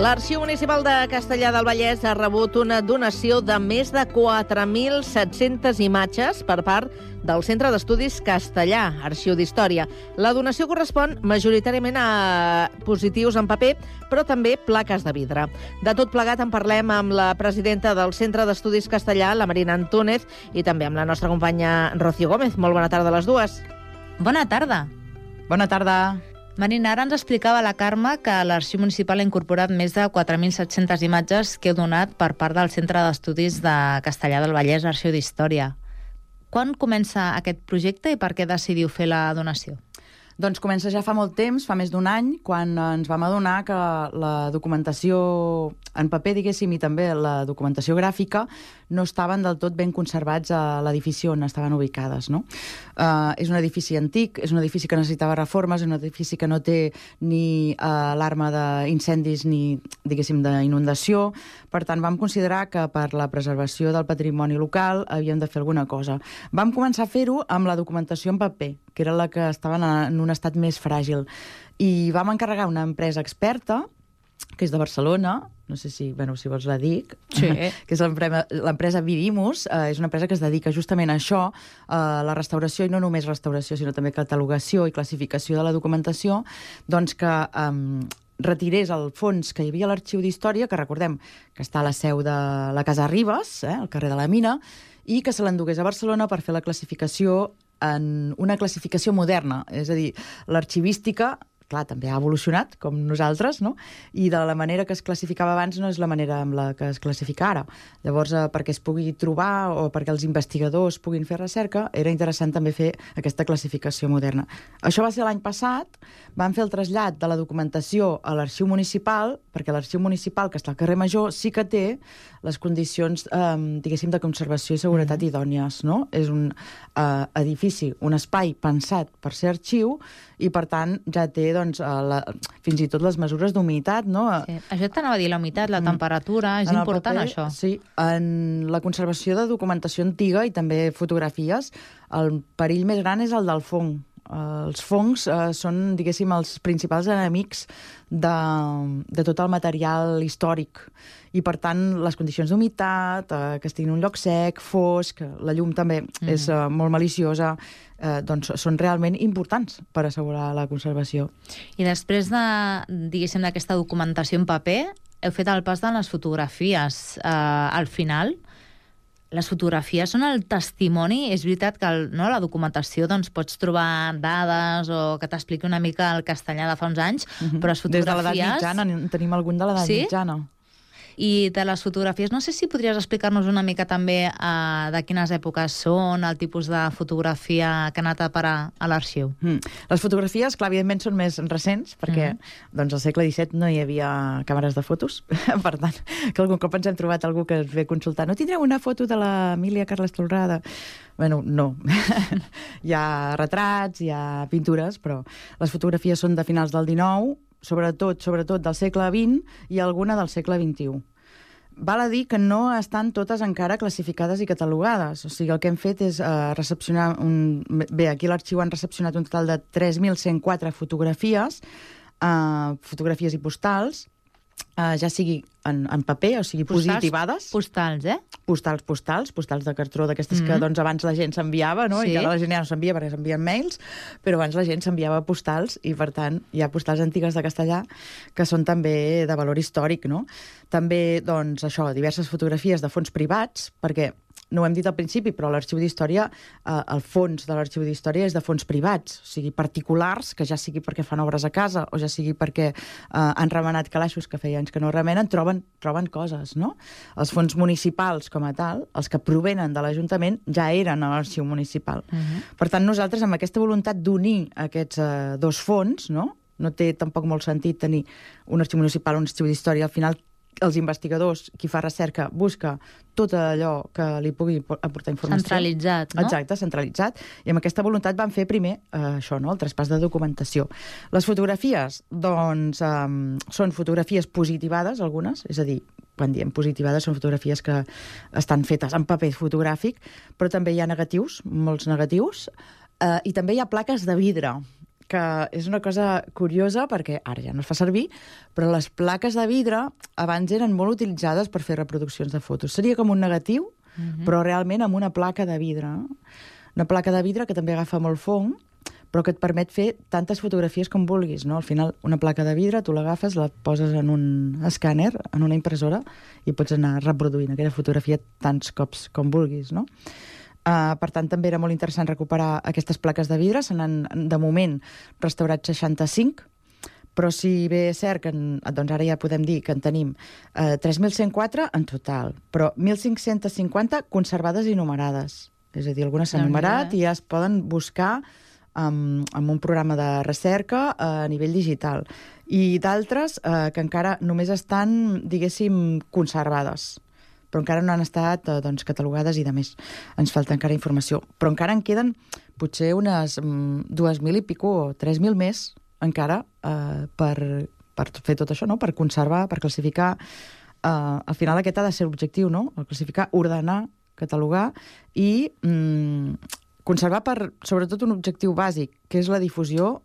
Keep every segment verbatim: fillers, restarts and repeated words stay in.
L'Arxiu Municipal de Castellar del Vallès ha rebut una donació de més de quatre mil set-centes imatges per part del Centre d'Estudis Castellar, Arxiu d'Història. La donació correspon majoritàriament a positius en paper, però també plaques de vidre. De tot plegat en parlem amb la presidenta del Centre d'Estudis Castellar, la Marina Antúnez, i també amb la nostra companya Rocío Gómez. Molt bona tarda a les dues. Bona tarda. Bona tarda. Marina, ara ens explicava la Carme que l'Arxiu Municipal ha incorporat més de quatre mil set-centes imatges que heu donat per part del Centre d'Estudis de Castellar del Vallès, Arxiu d'Història. Quan comença aquest projecte i per què decidiu fer la donació? Doncs comença ja fa molt temps, fa més d'un any, quan ens vam adonar que la documentació en paper, diguéssim, i també la documentació gràfica no estaven del tot ben conservats a l'edifici on estaven ubicades, no? Uh, és un edifici antic, és un edifici que necessitava reformes, és un edifici que no té ni uh, alarma d'incendis ni, diguéssim, d'inundació. Per tant, vam considerar que per la preservació del patrimoni local havíem de fer alguna cosa. Vam començar a fer-ho amb la documentació en paper, que era la que estava en un estat més fràgil. I vam encarregar una empresa experta, que és de Barcelona, no sé si, bueno, si vols la dic, sí. que és l'empresa Vidimus, eh, és una empresa que es dedica justament a això, a la restauració, i no només restauració, sinó també catalogació i classificació de la documentació, doncs que eh, retirés el fons que hi havia a l'Arxiu d'Història, que recordem que està a la seu de la Casa Ribes, eh, al carrer de la Mina, i que se l'endugués a Barcelona per fer la classificació en una classificació moderna. És a dir, l'arxivística, clar, també ha evolucionat, com nosaltres, no? I de la manera que es classificava abans no és la manera amb la que es classifica ara. Llavors, eh, perquè es pugui trobar o perquè els investigadors puguin fer recerca, era interessant també fer aquesta classificació moderna. Això va ser l'any passat, vam fer el trasllat de la documentació a l'Arxiu Municipal, perquè l'Arxiu Municipal, que està al carrer Major, sí que té les condicions, eh, diguéssim, de conservació i seguretat mm. idònies, no? És un eh, edifici, un espai pensat per ser arxiu, i per tant ja té doncs, la, fins i tot les mesures d'humitat, no? Sí. Això t'anava a dir, la humitat, la temperatura, és en important paper, això. Sí, en la conservació de documentació antiga i també fotografies, el perill més gran és el del fong. Els fongs eh, són, diguéssim, els principals enemics de, de tot el material històric. I, per tant, les condicions d'humitat, eh, que estiguin en un lloc sec, fosc, la llum també mm. és eh, molt maliciosa, eh, doncs són realment importants per assegurar la conservació. I després de, diguéssim, d'aquesta documentació en paper, heu fet el pas de les fotografies. Eh, al final, les fotografies són el testimoni. És veritat que el, no, la documentació doncs, pots trobar dades o que t'expliqui una mica el castellà de fa uns anys, uh-huh. però les fotografies... Des de l'edat mitjana, en tenim algun de l'edat sí? mitjana. I de les fotografies, no sé si podries explicar-nos una mica també uh, de quines èpoques són, el tipus de fotografia que ha anat a parar a l'arxiu. Mm. Les fotografies, clar, evidentment són més recents, perquè mm. doncs, al segle disset no hi havia càmeres de fotos. Per tant, que algun cop ens hem trobat algú que ens ve a consultar. No tindreu una foto de l'Emília Carles Tolrada? Bueno, no. Hi ha retrats, hi ha pintures, però les fotografies són de finals del dinou, sobretot, sobretot del segle vint i alguna del segle vint-i-u. Val a dir que no estan totes encara classificades i catalogades. O sigui, el que hem fet és uh, recepcionar... Un... Bé, aquí a l'arxiu han recepcionat un total de tres mil cent quatre fotografies, uh, fotografies i postals, uh, ja sigui en, en paper, o sigui, postals, positivades. Postals, eh? Postals, postals, postals de cartró, d'aquestes mm-hmm. que doncs, abans la gent s'enviava, no? Sí. I ara la gent ja no s'envia perquè s'envien mails, però abans la gent s'enviava postals i, per tant, hi ha postals antigues de castellà que són també de valor històric, no? També, doncs, això, diverses fotografies de fons privats, perquè no ho hem dit al principi, però l'Arxiu d'Història, eh, el fons de l'Arxiu d'Història és de fons privats, o sigui, particulars, que ja sigui perquè fan obres a casa o ja sigui perquè eh, han remenat calaixos que feia anys que no remenen, troben, troben coses, no? Els fons municipals, com a tal, els que provenen de l'Ajuntament, ja eren a l'Arxiu Municipal. Uh-huh. Per tant, nosaltres, amb aquesta voluntat d'unir aquests eh, dos fons, no? No té tampoc molt sentit tenir un arxiu municipal o un arxiu d'història. Al final, els investigadors, qui fa recerca, busca tot allò que li pugui aportar informació. Centralitzat, no? Exacte, centralitzat. I amb aquesta voluntat van fer primer eh, això, no? El traspàs de documentació. Les fotografies, doncs, eh, són fotografies positivades, algunes, és a dir, quan diem positivades, són fotografies que estan fetes en paper fotogràfic, però també hi ha negatius, molts negatius, eh, i també hi ha plaques de vidre, que és una cosa curiosa, perquè ara ja no es fa servir, però les plaques de vidre abans eren molt utilitzades per fer reproduccions de fotos. Seria com un negatiu, uh-huh. però realment amb una placa de vidre. Una placa de vidre que també agafa molt fong, però que et permet fer tantes fotografies com vulguis, no? Al final, una placa de vidre, tu l'agafes, la poses en un escàner, en una impressora, i pots anar reproduint aquella fotografia tants cops com vulguis, no? Uh, per tant, també era molt interessant recuperar aquestes plaques de vidre. Se n'han, de moment, restaurat seixanta-cinc, però si bé és cert que en, doncs ara ja podem dir que en tenim uh, tres mil cent quatre en total, però mil cinc-cents cinquanta conservades i numerades. És a dir, algunes s'han numerat i ja es poden buscar amb, amb un programa de recerca a nivell digital. I d'altres uh, que encara només estan, diguéssim, conservades, però encara no han estat eh, doncs, catalogades i de més. Ens falta encara informació. Però encara en queden potser unes mm, dues mil i pico o tres mil més encara eh, per, per fer tot això, no? Per conservar, per classificar. Eh, al final aquest ha de ser l'objectiu, no? El classificar, ordenar, catalogar i mm, conservar per, sobretot, un objectiu bàsic, que és la difusió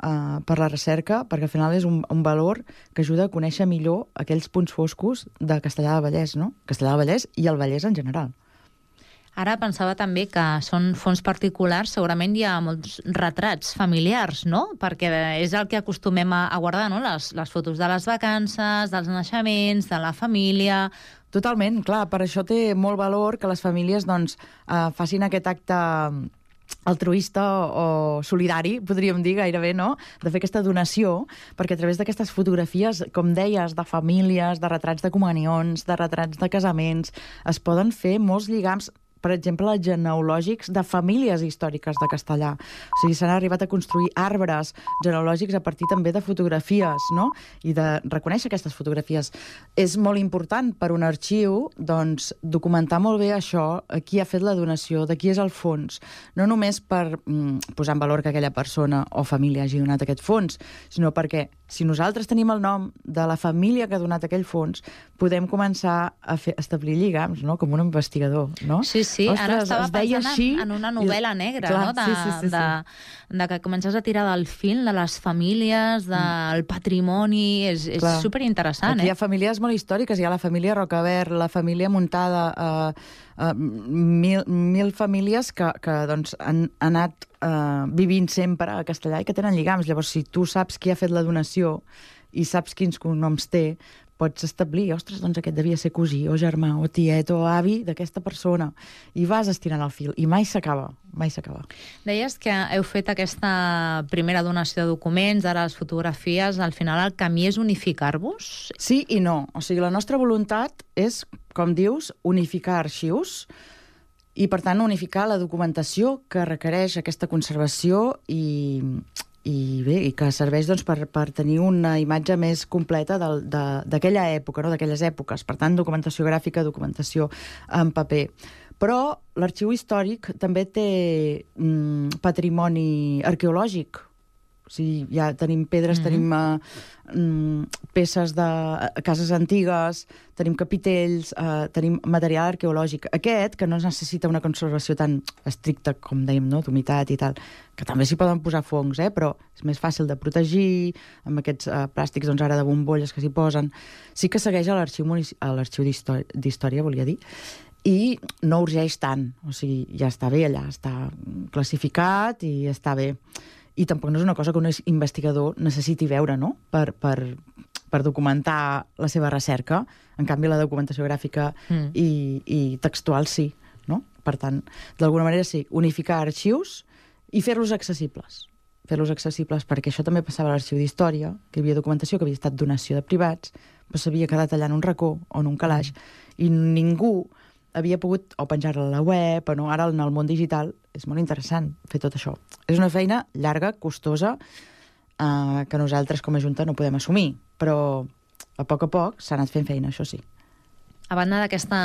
Uh, per la recerca, perquè al final és un, un valor que ajuda a conèixer millor aquells punts foscos de Castellar del Vallès, no? Castellar del Vallès i el Vallès en general. Ara pensava també que són fons particulars, segurament hi ha molts retrats familiars, no? Perquè és el que acostumem a, a guardar, no? Les, les fotos de les vacances, dels naixements, de la família... Totalment, clar, per això té molt valor que les famílies doncs, uh, facin aquest acte altruista o solidari, podríem dir gairebé, no?, de fer aquesta donació, perquè a través d'aquestes fotografies, com deies, de famílies, de retrats de comunions, de retrats de casaments, es poden fer molts lligams, per exemple, genealògics de famílies històriques de Castellar. O sigui, s'han arribat a construir arbres genealògics a partir també de fotografies, no?, i de reconèixer aquestes fotografies. És molt important per un arxiu, doncs, documentar molt bé això, qui ha fet la donació, de qui és el fons. No només per mm, posar en valor que aquella persona o família hagi donat aquest fons, sinó perquè si nosaltres tenim el nom de la família que ha donat aquell fons, podem començar a fer, establir lligams, no?, com un investigador, no? Sí, sí, Ostres, ara estava pensant així, en, en una novel·la i... negra, clar, no? De, sí, sí, sí, de, sí. de que comences a tirar del fil, de les famílies, del mm. patrimoni, és, és superinteressant. Aquí eh? hi ha famílies molt històriques, hi ha la família Rocabert, la família Muntada, eh, eh, mil, mil famílies que, que doncs, han, han anat eh, vivint sempre a Castellar i que tenen lligams. Llavors, si tu saps qui ha fet la donació i saps quins cognoms té, pots establir, ostres, doncs aquest devia ser cosí, o germà, o tiet, o avi d'aquesta persona. I vas estirant el fil, i mai s'acaba, mai s'acaba. Deies que heu fet aquesta primera donació de documents, ara les fotografies, al final el camí és unificar-vos? Sí i no. O sigui, la nostra voluntat és, com dius, unificar arxius i, per tant, unificar la documentació que requereix aquesta conservació i... i bé, i que serveix doncs, per, per tenir una imatge més completa d'aquella època, no? D'aquelles èpoques. Per tant, documentació gràfica, documentació en paper. Però l'arxiu històric també té mm, patrimoni arqueològic. O sigui, ja tenim pedres, mm-hmm. tenim uh, mm, peces de uh, cases antigues, tenim capitells, uh, tenim material arqueològic. Aquest, que no necessita una conservació tan estricta, com dèiem, no?, d'humitat i tal, que també s'hi poden posar fongs, eh? Però és més fàcil de protegir, amb aquests uh, plàstics, doncs ara de bombolles que s'hi posen. Sí que segueix a l'arxiu munici- a l'arxiu d'història, volia dir, i no urgeix tant. O sigui, ja està bé allà, està classificat i està bé. I tampoc no és una cosa que un investigador necessiti veure, no?, per, per, per documentar la seva recerca. En canvi, la documentació gràfica mm. i, i textual sí, no? Per tant, d'alguna manera sí, unificar arxius i fer-los accessibles. Fer-los accessibles, perquè això també passava a l'arxiu d'història, que hi havia documentació que havia estat donació de privats, però s'havia quedat allà en un racó o en un calaix, mm. i ningú havia pogut o penjar-la a la web, o no, ara en el món digital és molt interessant fer tot això. És una feina llarga, costosa, eh, que nosaltres com a Junta no podem assumir, però a poc a poc s'ha anat fent feina, això sí. A banda d'aquesta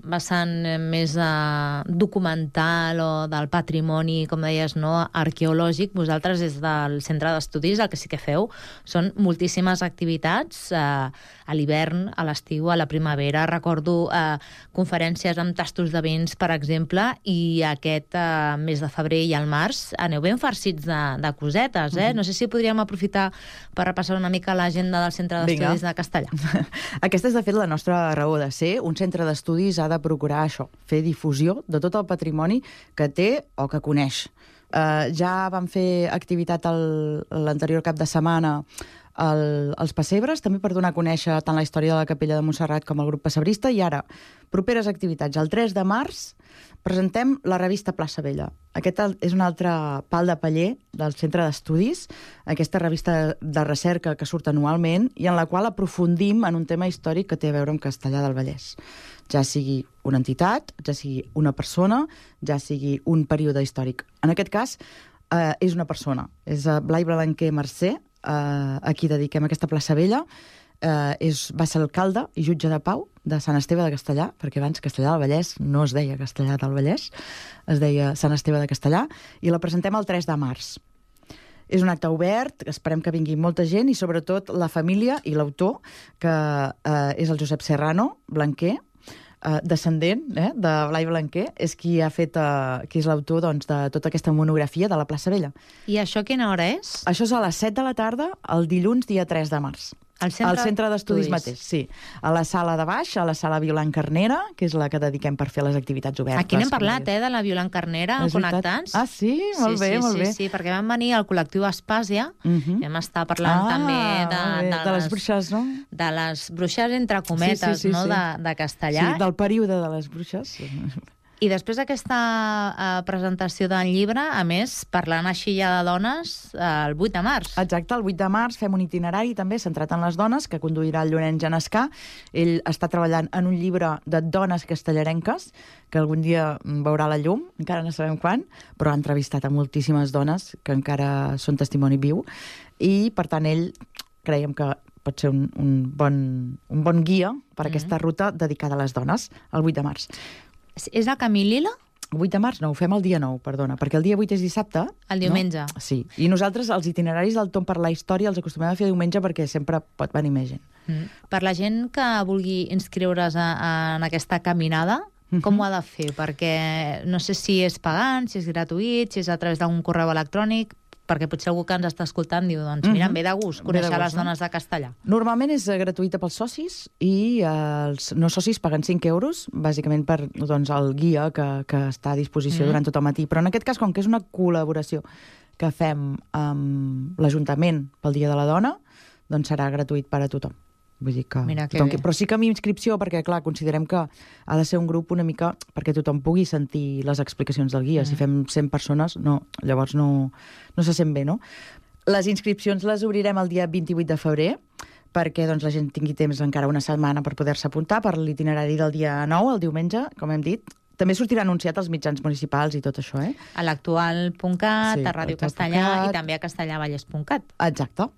vessant més uh, documental o del patrimoni, com deies, no, arqueològic, vosaltres des del Centre d'Estudis el que sí que feu són moltíssimes activitats uh, a l'hivern, a l'estiu, a la primavera. Recordo uh, conferències amb tastos de vins, per exemple, i aquest uh, mes de febrer i al març aneu ben farcits de, de cosetes, eh? Mm-hmm. No sé si podríem aprofitar per repassar una mica l'agenda del Centre d'Estudis de Castellar. Aquesta és, de fet, la nostra raó de ser. Un centre d'estudis ha de procurar això, fer difusió de tot el patrimoni que té o que coneix. Uh, ja vam fer activitat l'anterior cap de setmana el, els pessebres, també per donar a conèixer tant la història de la Capella de Montserrat com el grup pessebrista, i ara, properes activitats. El tres de març presentem la revista Plaça Vella. Aquest és un altre pal de paller del Centre d'Estudis, aquesta revista de recerca que surt anualment i en la qual aprofundim en un tema històric que té a veure amb Castellar del Vallès. Ja sigui una entitat, ja sigui una persona, ja sigui un període històric. En aquest cas, eh, és una persona. És Blai Blanquer Mercè, eh, a qui dediquem aquesta Plaça Vella. Eh, és, va ser alcalde i jutge de pau de Sant Esteve de Castellar, perquè abans Castellar del Vallès no es deia Castellar del Vallès, es deia Sant Esteve de Castellar, i la presentem el tres de març. És un acte obert, esperem que vingui molta gent, i sobretot la família i l'autor, que eh, és el Josep Serrano Blanquer, eh, descendent eh, de Blai Blanquer, és qui ha fet, eh, qui és l'autor, doncs, de tota aquesta monografia de la Plaça Vella. I això a quina hora és? Això és a les set de la tarda, el dilluns, dia tres de març. Al centre, al centre d'estudis mateix, sí. A la sala de baix, a la sala Violant Carnera, que és la que dediquem per fer les activitats obertes. Aquí n'hem parlat, eh, de la Violant Carnera, Connectats. Ah, sí? Molt sí, bé, sí, molt sí, bé. Sí, perquè vam venir al col·lectiu Espàsia, uh-huh. vam estar parlant ah, també de, de, de, de les bruixes, no? De les bruixes, entre cometes, sí, sí, sí, no? sí. De, de Castellar. Sí, del període de les bruixes. I després d'aquesta uh, presentació del llibre, a més, parlant així ja de dones, uh, el vuit de març. Exacte, el vuit de març fem un itinerari també centrat en les dones, que conduirà el Llorenç Genescà. Ell està treballant en un llibre de dones castellarenques, que algun dia veurà la llum, encara no sabem quan, però ha entrevistat a moltíssimes dones que encara són testimoni viu, i per tant ell creiem que pot ser un, un, bon, un bon guia per a aquesta ruta dedicada a les dones, el vuit de març. És el Camí Lila? El vuit de març no, ho fem el dia nou, perdona, perquè el dia vuit és dissabte. El diumenge. No? Sí, i nosaltres els itineraris del Tom per la història els acostumem a fer diumenge perquè sempre pot venir més gent. Mm. Per la gent que vulgui inscriure's a, a, en aquesta caminada, mm-hmm. com ho ha de fer? Perquè no sé si és pagant, si és gratuït, si és a través d'un correu electrònic, perquè potser algú que ens està escoltant diu, doncs mira, em ve de gust conèixer de gust, les dones no? de Castellar. Normalment és gratuïta pels socis i els no socis paguen cinc euros, bàsicament per doncs, el guia que, que està a disposició mm. durant tot el matí. Però en aquest cas, com que és una col·laboració que fem amb l'Ajuntament pel Dia de la Dona, doncs serà gratuït per a tothom. Vull dir que, Mira que tothom, però sí que amb inscripció, perquè clar, considerem que ha de ser un grup una mica perquè tothom pugui sentir les explicacions del guia. Mm. Si fem cent persones, no, llavors no, no se sent bé, no? Les inscripcions les obrirem el dia vint-i-vuit de febrer, perquè doncs, la gent tingui temps encara una setmana per poder-se apuntar per l'itinerari del dia nou, el diumenge, com hem dit. També sortirà anunciat als mitjans municipals i tot això, eh? A l'actual punt cat, sí, a Ràdio Castellar i també a castellarvallès punt cat. Exacte.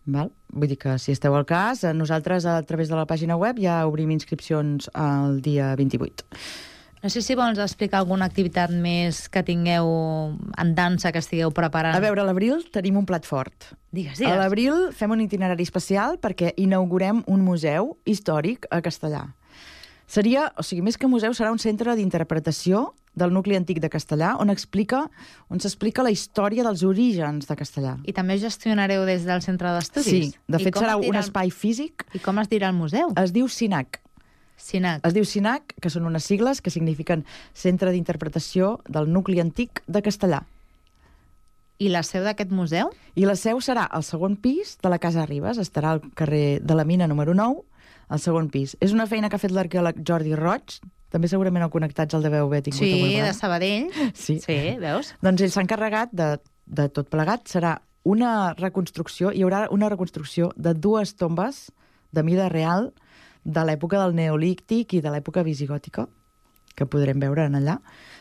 Val? Vull dir que si esteu al cas, nosaltres a través de la pàgina web ja obrim inscripcions el dia vint-i-vuit. No sé si vols explicar alguna activitat més que tingueu en dansa, que estigueu preparant. A veure, a l'abril tenim un plat fort. Digues, digues. A l'abril fem un itinerari especial perquè inaugurem un museu històric a Castellar. Seria, o sigui, més que museu, serà un centre d'interpretació del nucli antic de Castellar, on explica, on s'explica la història dels orígens de Castellar. I també gestionareu des del centre d'estudis? Sí, de fet serà un espai físic. I com es dirà el museu? Es diu SINAC. SINAC. Es diu SINAC, que són unes sigles que signifiquen Centre d'Interpretació del Nucli Antic de Castellar. I la seu d'aquest museu? I la seu serà al segon pis de la Casa Ribes, estarà al carrer de la Mina número nou, al segon pis. És una feina que ha fet l'arqueòleg Jordi Roig, també segurament el Connectats el deveu haver tingut. Sí, de Sabadell. Sí, sí veus? Doncs ell s'ha encarregat de, de tot plegat. Serà una reconstrucció, hi haurà una reconstrucció de dues tombes de mida real de l'època del Neolític i de l'època visigòtica, que podrem veure en allà.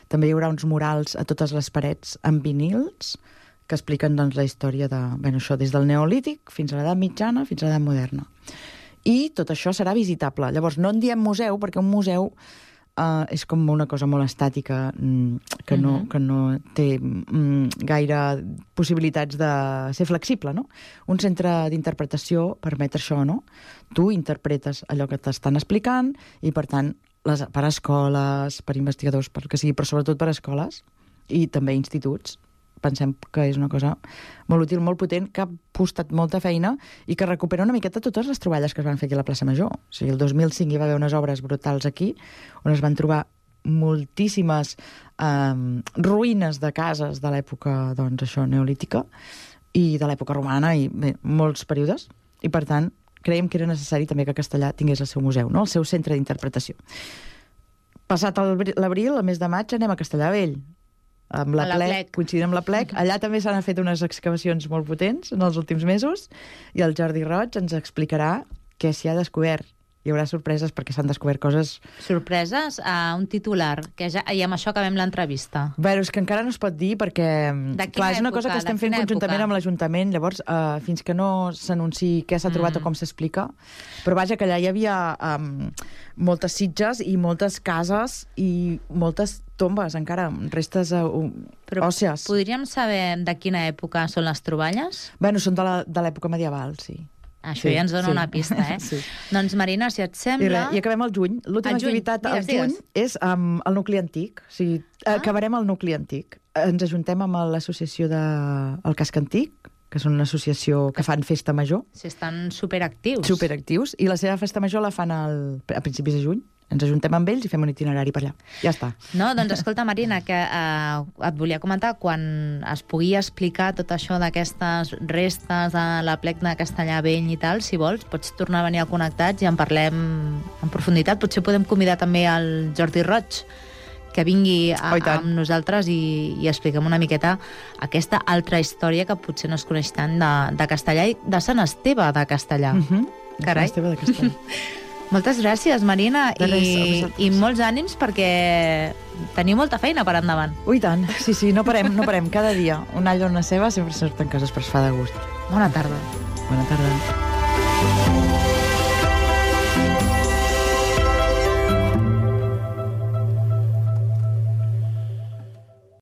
També hi haurà uns murals a totes les parets amb vinils que expliquen doncs, la història de, bueno, això, des del Neolític fins a l'edat mitjana, fins a l'edat moderna. i tot això serà visitable. Llavors, no en diem museu, perquè un museu uh, és com una cosa molt estàtica, que no, uh-huh. que no té um, gaire possibilitats de ser flexible, no? Un centre d'interpretació permet això, no? Tu interpretes allò que t'estan explicant i, per tant, les, per escoles, per investigadors, per que sigui, però sobretot per escoles i també instituts. Pensem que és una cosa molt útil, molt potent, que ha costat molta feina i que recupera una miqueta totes les troballes que es van fer aquí a la plaça Major. O sigui, el dos mil cinc hi va haver unes obres brutals aquí, on es van trobar moltíssimes eh, ruïnes de cases de l'època, doncs, això, neolítica i de l'època romana i bé, molts períodes. I, per tant, creiem que era necessari també que Castellar tingués el seu museu, no? El seu centre d'interpretació. Passat l'abril, el mes de maig, anem a Castellar Vell, amb la, la plec, plec, coincidint amb la plec. Allà també s'han fet unes excavacions molt potents en els últims mesos i el Jordi Roig ens explicarà què s'hi ha descobert. Hi haurà sorpreses perquè s'han descobert coses... Sorpreses a un titular, que ja, i amb això acabem l'entrevista. Bé, és que encara no es pot dir perquè, clar, és una cosa que estem fent conjuntament amb l'Ajuntament, llavors, uh, fins que no s'anunciï què s'ha trobat mm. o com s'explica. Però vaja, que allà hi havia um, moltes sitges i moltes cases i moltes tombes, encara, restes uh, Però òssies. Podríem saber de quina època són les troballes? Bé, són de l'època medieval, sí. Això sí, ja ens dona sí. una pista, eh? Sí. Doncs, Marina, si et sembla... I, I acabem al juny. L'última activitat al juny és um, el nucli antic. O sigui, ah. acabarem el nucli antic. Ens ajuntem amb l'associació de el Casc Antic, que són una associació que fan festa major. Sí, estan superactius. Superactius. I la seva festa major la fan al, a principis de juny. Ens ajuntem amb ells i fem un itinerari per allà. Ja està. No, doncs escolta, Marina, que eh, et volia comentar, quan es pugui explicar tot això d'aquestes restes de la plec de Castellar Vell i tal, si vols, pots tornar a venir a Connectats i en parlem en profunditat. Potser podem convidar també el Jordi Roig, que vingui a, oh, amb nosaltres i, i expliquem una miqueta aquesta altra història que potser no es coneix tant de, de Castellar i de Sant Esteve de Castellar. Mm-hmm. Carai. Sant Esteve de Castellar. Moltes gràcies, Marina, res, i, i molts ànims perquè teniu molta feina per endavant. Ui, tant. Sí, sí, no parem, no parem. Cada dia un all o una ceba sempre surten coses, però es fa de gust. Bona tarda. Bona tarda.